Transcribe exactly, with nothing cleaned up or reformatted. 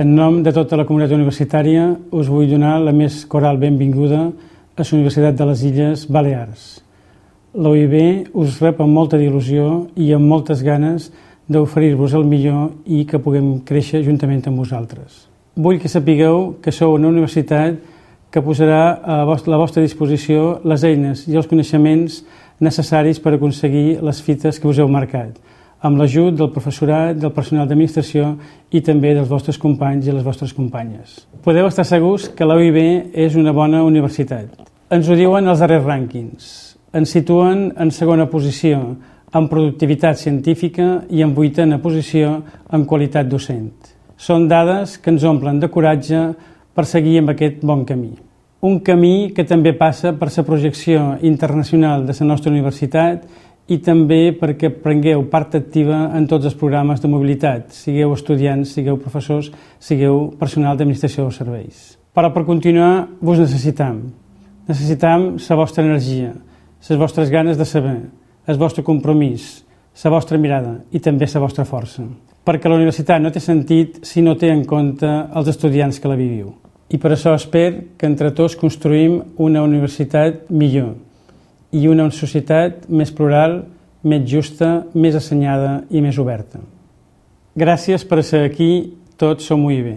En nom de tota la comunitat universitària us vull donar la més coral benvinguda a la Universitat de les Illes Balears. La U I B us rep amb molta il·lusió i amb moltes ganes d'oferir-vos el millor i que puguem créixer juntament amb vosaltres. Vull que sapigueu que sou una universitat que posarà a la vostra disposició les eines i els coneixements necessaris per aconseguir les fites que us heu marcat, amb l'ajut del professorat, del personal d'administració i també dels vostres companys i les vostres companyes. Podeu estar segurs que la U I B és una bona universitat. Ens ho diuen els darrers rànquings. Ens situen en segona posició en productivitat científica i en vuitena posició en qualitat docent. Són dades que ens omplen de coratge per seguir amb aquest bon camí. Un camí que també passa per la projecció internacional de la nostra universitat i també perquè prengueu part activa en tots els programes de mobilitat, sigueu estudiants, sigueu professors, sigueu personal d'administració o serveis. Però per continuar vos necessitam. Necessitam la vostra energia, les vostres ganes de saber, el vostre compromís, la vostra mirada i també la vostra força. Perquè la universitat no té sentit si no té en compte els estudiants que la viviu. I per això espero que entre tots construïm una universitat millor i una societat més plural, més justa, més assenyada i més oberta. Gràcies per ser aquí, tots som U I B.